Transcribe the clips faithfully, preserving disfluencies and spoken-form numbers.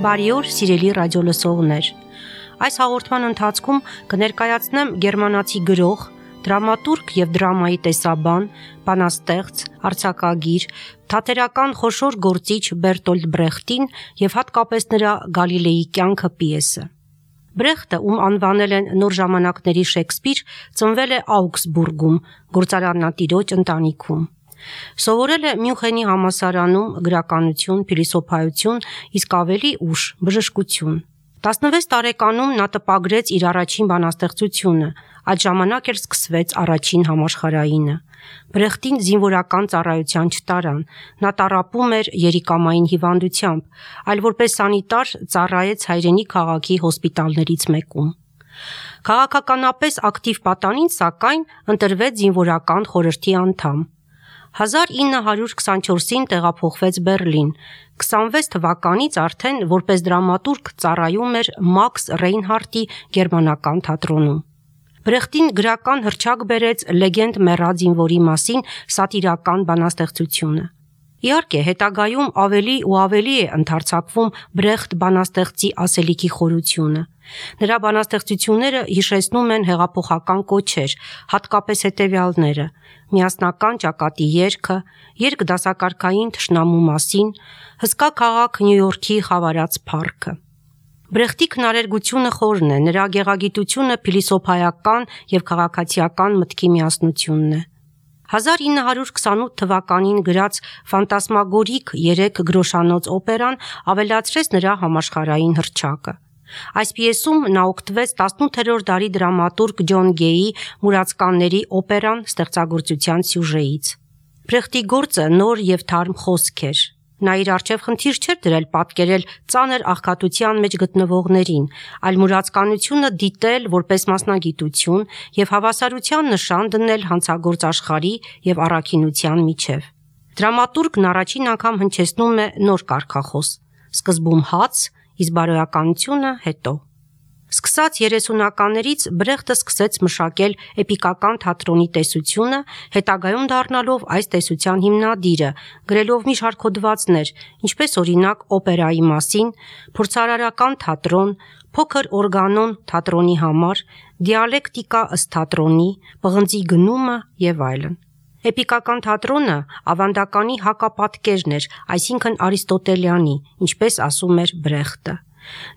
Բարի օր, սիրելի ռադիոլսողներ։ Այս հաղորդման ընթացքում կներկայացնեմ գերմանացի գրող, դրամատուրգ եւ դրամայի տեսաբան, բանաստեղծ, արձակագիր, թատերական խոշոր գործիչ Բերտոլդ Բրեխտին եւ հատկապես նրա Գալիլեի կյանքը պիեսը։ Բրեխտը, ում անվանել են նոր ժամանակների Շեքսպիր, ծնվել է Աուգսբուրգում, գործարանատիրոջ ընտանիքում։ Սովորել է Մյունխենի համալսարանում գրականություն, փիլիսոփայություն, իսկ ավելի ուշ բժշկություն։ տասնվեց տարեկանում նա տպագրեց իր առաջին բանաստեղծությունը, այդ ժամանակ էլ սկսվեց առաջին համաշխարհայինը։ Բրեխտին զինվորական ծառայության չտարան, նա տառապում էր երիկամային հիվանդությամբ, այլ որպես սանիտար ծառայեց հայրենի քաղաքի հոսպիտալներից մեկում։ Քաղաքականապես ակտիվ պատանին, սակայն, ընտրվեց զինվորական խորհրդի անդամ։ հազար ինը հարյուր քսանչորսին տեղափոխվեց Բեռլին, քսանվեց թվականից արդեն որպես դրամատուրգ ծառայում էր Մաքս Ռեյնհարդի գերմանական թատրոնում։ Բրեխտին գրական հռչակ բերեց Լեգենդ մեռած զինվորի մասին սատիրական բանաստեղծությունը։ Իհարկե, հետագայում ավելի ու ավելի է ընդարձակվում Բրեխտ բանաստեղծի ասելիքի խորությունը։ Նրա բանաստեղծությունները հիշեցնում են հեղափոխական կոչեր, հատկապես հետևյալները՝ միասնական ճակատի երգը, երգ դասակարգային թշնամու մասին, հսկա քաղաք Նյու Յորքի խավարած փառքը։ Բրեխտի քնարերգությունը խորն է, նրա գեղագիտությունը փիլիսոփայական եւ քաղաքացիական մտքի միասնությունն է։ հազար ինը հարյուր քսանութ թվականին գրած ֆանտասմագորիկ երեք գրոշանոց օպերան ավելացրեց նրա համաշխարհային հռչակը։ Այս պիեսում նա օգտվեց տասնութերորդ դարի դրամատուրգ Ջոն Գեյի «Մուրացկանների» օպերան ստեղծագործության սյուժեից։ Բրեխտի գործը նոր եւ թարմ խոսք էր։ Նա իր առջև խնդիր չէր դրել պատկերել ծանր աղքատության մեջ գտնվողներին, այլ մուրացկանությունը դիտել որպես մասնագիտություն եւ հավասարության նշան դնել հանցագործ աշխարհի եւ առաքինության միջև։ Դրամատուրգն առաջին անգամ հնչեցնում է նոր կարգախոս՝ սկզբում հաց, իսկ բարոյականությունը հետո։ Սկսած երեսունականներից Բրեխտը սկսեց մշակել էպիկական թատրոնի տեսությունը, հետագայում դառնալով այս տեսության հիմնադիրը, գրելով մի շարք հոդվածներ, ինչպես օրինակ օպերայի մասին, փորձարարական թատրոն, փոքր օրգանոն թատրոնի համար, դիալեկտիկա ըստ թատրոնի, պղնձի գնումը եւ այլն։ Էպիկական թատրոնը ավանդականի հակապատկերն էր, այսինքն արիստոտելյանի, ինչպես ասում էր Բրեխտը։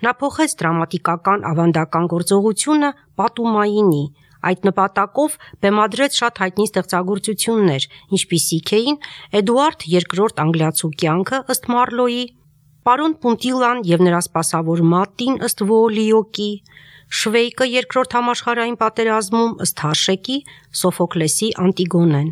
Նա փոխեց դրամատիկական ավանդական գործողությունը պատումայինի, այդ նպատակով բեմադրեց շատ հայտնի ստեղծագործություններ, ինչպիսիք էին Էդուարդ երկրորդ անգլիացու կյանքը ըստ Մարլոյի, Պարոն Պունտիլան եւ նրա սպասավոր Մատին ըստ Վոոլիոկի, Շվեյկը երկրորդ համաշխարհային պատերազմում ըստ Հաշեկի, Սոֆոկլեսի Անտիգոնեն։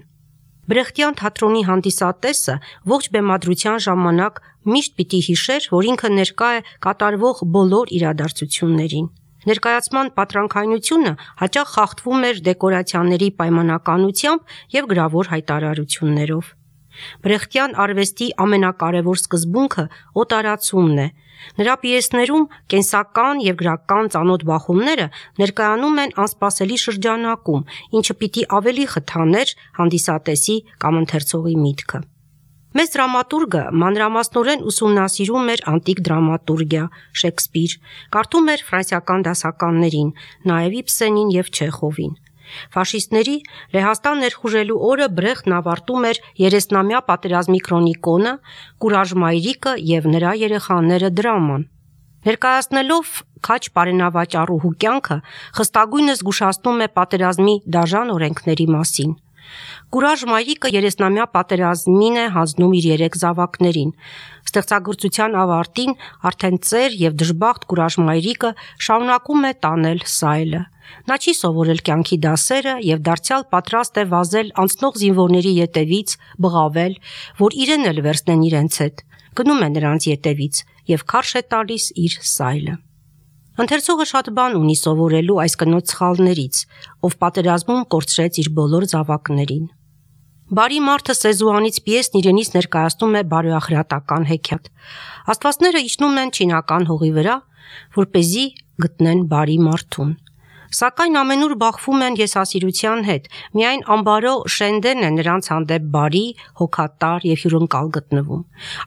Բրեխտյան թատրոնի հանդիսատեսը ողջ բեմադրության ժամանակ միշտ պիտի հիշեր, որ ինքը ներկա է կատարվող բոլոր իրադարձություններին։ Ներկայացման պատրանքայնությունը հաճախ խախտվում էր դեկորացիաների պայմանականությամբ եւ գրավոր հայտարարություններով։ Բրեխտյան արվեստի ամենակարևոր սկզբունքը օտարացումն է։ Նրա պիեսներում կենսական եւ գրական ծանոթ բախումները ներկայանում են անսպասելի շրջանակում, ինչը պիտի ավելի խթաներ հանդիսատեսի կամ ընթերցողի միտքը։ Մեծ դրամատուրգը մանրամասնորեն ուսումնասիրում էր անտիկ դրամատուրգիա, Շեքսպիր, կարդում էր ֆրանսիական դասականներին, նաեւ Իբսենին եւ Չեխովին։ Ֆաշիստների Լեհաստան ներխուժելու օրը Բրեխտն ավարտում էր երեսնամյա պատերազմի քրոնիկոնը, Կուրաժ մայրիկը եւ նրա երեխաները դրաման։ Ներկայացնելով քաջ բարենավաճառուհու կյանքը, խստագույնս զգուշացնում է պատերազմի դաժան օրենքների մասին։ Կուրաժ մայրիկը երեսնամյա պատերազմին է հանձնում իր երեք զավակներին։ Ստեղծագործության ավարտին արդեն ծեր եւ դժբախտ Կուրաժ մայրիկը շարունակում է տանել սայլը։ Նա չի սովորել կյանքի դասերը եւ դարձյալ պատրաստ է վազել անցնող զինվորների ետևից, բղավել, որ իրեն էլ վերցնեն իրենց հետ։ Գնում է նրանց ետևից եւ քարշ է տալիս իր սայլը։ Ընթերցողը շատ բան ունի սովորելու այս կնոջ սխալներից, ով պատերազմում կորցրեց իր բոլոր զավակներին։ Բարի մարդը Սեզուանից պիեսն իրենից ներկայացնում է բարոյախրատական հեքիաթ։ Աստվածները իջնում են չինական հողի վրա, որպեսզի գտնեն բարի մարդուն։ Սակայն ամենուր բախվում են եսասիրության հետ, միայն ամբարո Շենդեն է նրանց հանդեպ բարի, հոգատար և հյուրընկալ գտնվում։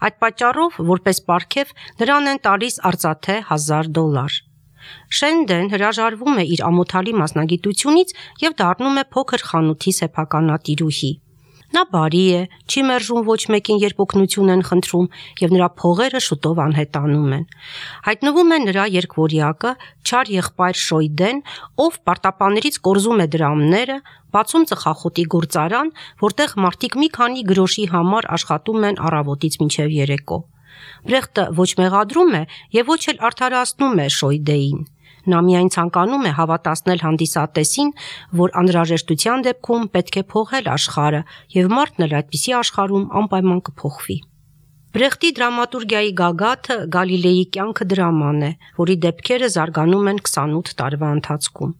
Այդ պատճառով, որպես պարգև, նրան են տալիս արծաթե հազար դոլար։ Շենդեն հրաժարվում է իր ամոթալի մասնագիտությունից և դառնում է փոքր խանութի սեփականատիրուհի։ Նա բարի է, չի մերժում ոչ մեկին, երբ օգնություն են խնդրում, և նրա փողերը շուտով անհետանում են։ Հայտնվում է նրա երկվորյակը, չար եղբայր Շոյդեն, ով պարտապաներից կորզում է դրամները, բացում ծխախոտի գործարան, որտեղ մարդիկ մի քանի գրոշի համար աշխատում են առավոտից մինչև երեկո։ Բրեխտը ոչ մեղադրում է և ոչ էլ արդարացնում է Շոյդեին։ Նա միայն ցանկանում է հավատացնել հանդիսատեսին, որ անհրաժեշտության դեպքում պետք է փոխել աշխարհը, և մարդն էլ այդպիսի աշխարհում անպայման կփոխվի։ Բրեխտի դրամատուրգիայի գագաթը Գալիլեի կյանքը դրաման է, որի դեպքերը զարգանում են քսանութ տարվա ընթացքում։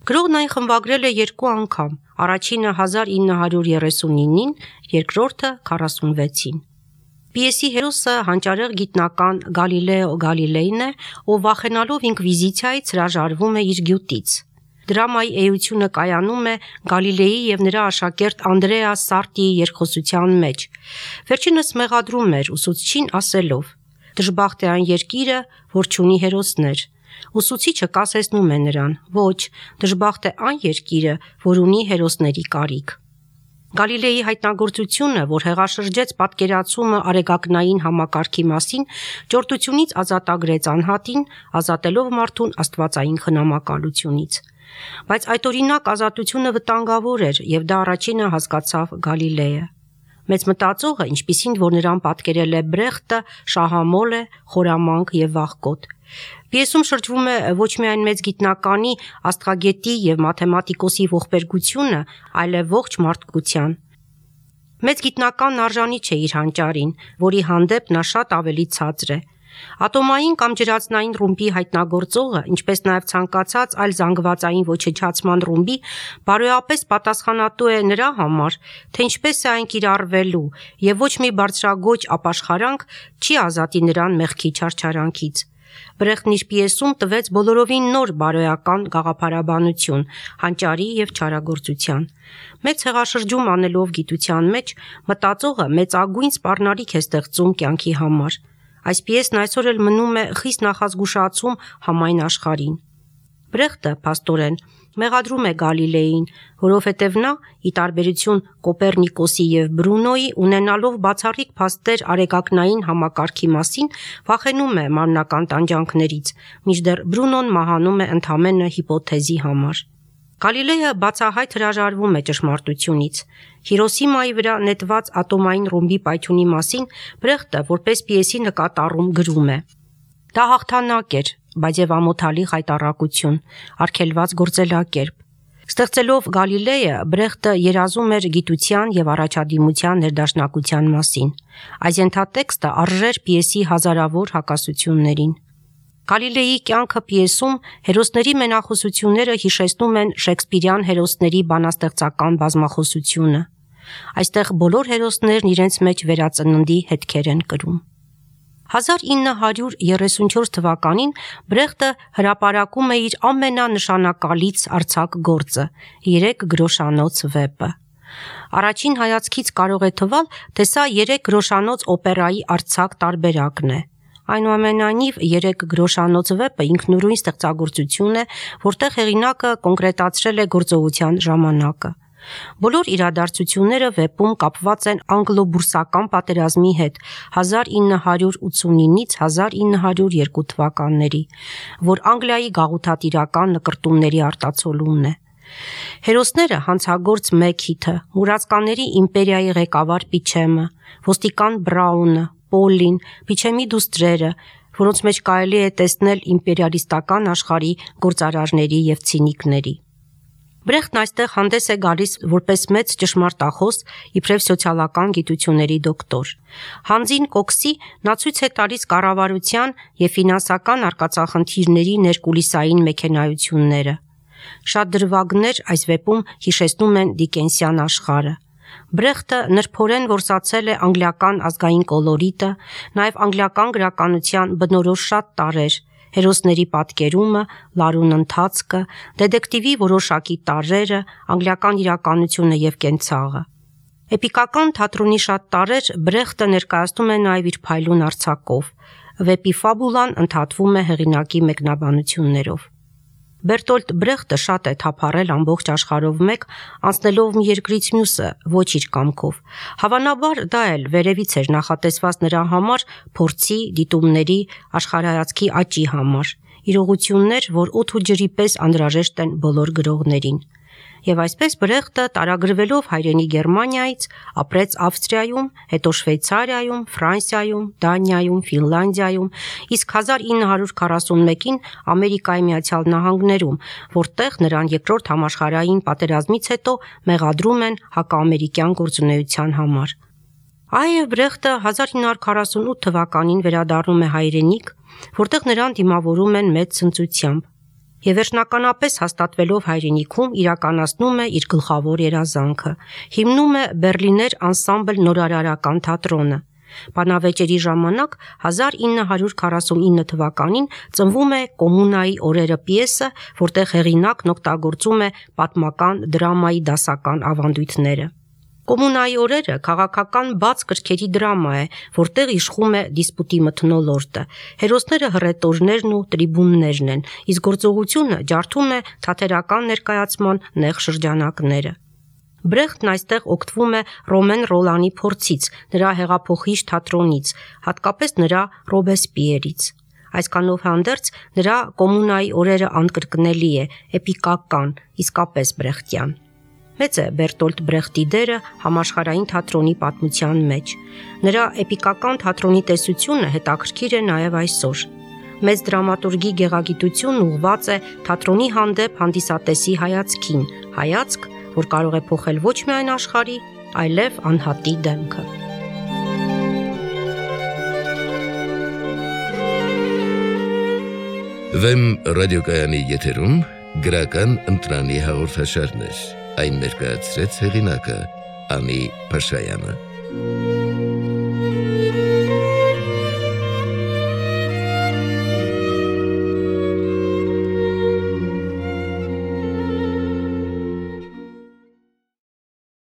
Գրողն այն խմբագրել է երկու անգամ, առաջինը հազար ինը հարյուր երեսունինին, երկրորդը քառասունվեցին։ Պիեսի հերոսը հանճարեղ գիտնական Գալիլեո Գալիլեյն է, ով վախենալով ինկվիզիցիայից հրաժարվում է իր գյուտից։ Դրամայի էությունը կայանում է Գալիլեի և նրա աշակերտ Անդրեա Սարտիի երկխոսության մեջ։ Վերջինս մեղադրում էր ուսուցչին ասելով. «Դժբախտ է այն երկիրը, որ չունի հերոսներ»։ Ուսուցիչը կասեցնում է նրան. «Ոչ, դժբախտ է այն երկիրը, որ ունի հերոսների կարիք»։ Գալիլեի հայտնագործությունը, որ հեղաշրջեց պատկերացումը արեգակնային համակարգի մասին, ճորտությունից ազատագրեց անհատին, ազատելով մարդուն աստվածային խնամակալությունից։ Բայց այդօրինակ ազատությունը վտանգավոր էր, և դա առաջինը հասկացավ Գալիլեյը։ Մեծ մտածողը, ինչպիսին որ նրան պատկերել է Բրեխտը, շահամոլ է, խորամանկ և վախկոտ։ Պիեսում շրջվում է ոչ միայն մեծ գիտնականի, աստղագետի և մաթեմատիկոսի ողբերգությունը, այլև ողջ մարդկության։ Մեծ գիտնականն արժանի չէ իր հանճարին, որի հանդեպ նա շատ ավելի ցածր է։ Ատոմային կամ ջրածնային ռումբի հայտնագործողը, ինչպես նաև ցանկացած այլ զանգվածային ոչնչացման ռումբի, բարոյապես պատասխանատու է նրա համար, թե ինչպես է այն կիրառվելու, և ոչ մի բարձրագույն ապաշխարանք չի ազատի նրան մեղքի չարչարանքից։ Բրեխտն իր պիեսում տվեց բոլորովին նոր բարոյական գաղափարաբանություն հանճարի և չարագործության։ Մեծ հեղաշրջում անելով գիտության մեջ, մտածողը մեծագույն սպառնալիք է ստեղծում կյանքի համար։ Այս պիեսն այսօր էլ մնում է խիստ նախազգուշացում համայն աշխարհին։ Բրեխտը, փաստորեն, մեղադրում է Գալիլեին, որովհետև նա, ի տարբերություն Կոպեռնիկոսի և Բրունոյի, ունենալով բացառիկ փաստեր արեգակնային համակարգի մասին, վախենում է մարմնական տանջանքներից, մինչդեռ Բրունոն մահանում է ընդամենը հիպոթեզի համար։ Գալիլեյը բացահայտ հրաժարվում է ճշմարտությունից։ Հիրոսիմայի վրա նետված ատոմային ռումբի պայթյունի մասին Բրեխտը, որպես պիեսի նկատառում, գրում է. «Դա հաղթանակ էր, բայց և ամոթալի խայտառակություն, արգելված գործելակերպ»։ Ստեղծելով Գալիլեյը, Բրեխտը երազում էր գիտության և առաջադիմության ներդաշնակության մասին։ Այս ենթատեքստը արժեր պիեսի հազարավոր հակասություններին։ Գալիլեյի կյանքը պիեսում հերոսների մենախոսությունները հիշեցնում են շեքսպիրյան հերոսների բանաստեղծական բազմախոսությունը։ Այստեղ բոլոր հերոսներն իրենց մեջ վերածննդի հետքեր են կրում։ հազար ինը հարյուր երեսունչորս թվականին Բրեխտը հրապարակում է իր ամենանշանակալից արձակ գործը՝ երեք գրոշանոց վեպը։ Առաջին հայացքից կարող է թվալ, թե սա երեք գրոշանոց օպերայի արձակ տարբերակն է։ Այնուամենայնիվ, երեք գրոշանոց վեպը ինքնուրույն ստեղծագործություն է, որտեղ հեղինակը կոնկրետացրել է գործողության ժամանակը։ Բոլոր իրադարձությունները վեպում կապված են անգլո-բուրսական պատերազմի հետ հազար ինը հարյուր ութսունինից հազար ինը հարյուր երկու թվականների, որ Անգլիայի գաղութատիրական նկրտումների արտացոլումն է։ Հերոսները հանցագործ Մեքիթը, մուրացկանների իմպերիայի ղեկավար Պիչեմը, ոստիկան Բրաունը, Պոլին, Պիչեմի դուստրերը, որոնց մեջ կարելի է տեսնել իմպերիալիստական աշխարհի գործարարների և ցինիկների։ Բրեխտն այստեղ հանդես է գալիս որպես մեծ ճշմարտախոս, իբրև սոցիալական գիտությունների դոկտոր։ Հանձին Կոքսի նա ցույց է տալիս կառավարության և ֆինանսական արկածախնդիրների ներկուլիսային մեքենայությունները։ Շատ դրվագներ այս վեպում հիշեցնում են դիկենսյան աշխարհը։ Բրեխտը նրբորեն որսացել է անգլիական ազգային կոլորիտը, նաև անգլիական գրականության բնորոշ շատ տարրեր, հերոսների պատկերումը, լարուն ընթացքը, դետեկտիվի որոշակի տարրերը, անգլիական իրականությունը եւ կենցաղը։ Էպիկական թատրոնի շատ տարրեր Բրեխտը ներկայացնում է նաեւ իր փայլուն արձակով։ Վեպի ֆաբուլան ընդհատվում է հեղինակի մեկնաբանություններով։ Բերտոլտ Բրեխտը շատ է թափառել ամբողջ աշխարհով մեկ, անցնելով մի երկրից մյուսը, ոչ իր կամքով։ Հավանաբար դա էլ վերևից էր նախատեսված նրա համար փորձի, դիտումների, աշխարհայացքի աճի համար։ Իրողություններ, որ օդ ու ջրի պես անհրաժեշտ են բոլոր գրողներին։ Եվ այսպես Բրեխտը տարագրվելով հայրենի Գերմանիայից ապրեց Ավստրիայում, հետո Շվեյցարիայում, Ֆրանսիայում, Դանիայում, Ֆինլանդիայում, իսկ հազար ինը հարյուր քառասունմեկին Ամերիկայի Միացյալ Նահանգներում, որտեղ նրան երկրորդ համաշխարհային պատերազմից հետո մեղադրում են հակաամերիկյան գործունեության համար։ Այո, Բրեխտը հազար ինը հարյուր քառասունութ թվականին վերադառնում է հայրենիք, որտեղ նրան դիմավորում են մեծ ցնծությամբ։ Եվ վերջնականապես հաստատվելով հայրենիքում իրականացնում է իր գլխավոր երազանքը, հիմնում է Բերլիներ անսամբլ նորարարական թատրոնը։ Բանավեճերի ժամանակ հազար ինը հարյուր քառասունինը թվականին ծնվում է Կոմունայի օրերը պիեսը, որտեղ հեղինակն օգտագործում է պատմական դրամայի դասական ավանդույթները։ Կոմունայի օրերը քաղաքական բաց կրքերի դրամա է, որտեղ իշխում է դիսպուտի մթնոլորտը։ Հերոսները հռետորներն ու տրիբուններն են, իսկ գործողությունը ջարդում է թատերական ներկայացման նեղ շրջանակները։ Բրեխտն այստեղ օգտվում է Ռոմեն Ռոլանի փորձից, նրա հեղափոխիչ թատրոնից, հատկապես նրա Ռոբեսպիերից։ Այսքանով հանդերձ նրա Կոմունայի օրերը անկրկնելի է, էպիկական, իսկապես բրեխտյան։ Մեծ է Բերտոլտ Բրեխտի դերը համաշխարհային թատրոնի պատմության մեջ։ Նրա էպիկական թատրոնի տեսությունը հետաքրքիր է նաև այսօր։ Մեծ դրամատուրգի գեղագիտությունն ուղղված է թատրոնի հանդեպ հանդիսատեսի հայացքին, հայացք, որ կարող է փոխել ոչ միայն աշխարհի, այլև անհատի դեմքը։ Վեմ ռադիոկայանի եթերում գրական ընտրանի հաղորդաշարներ։ Այն ներկայացրեց հեղինակը Անի Փաշայանը։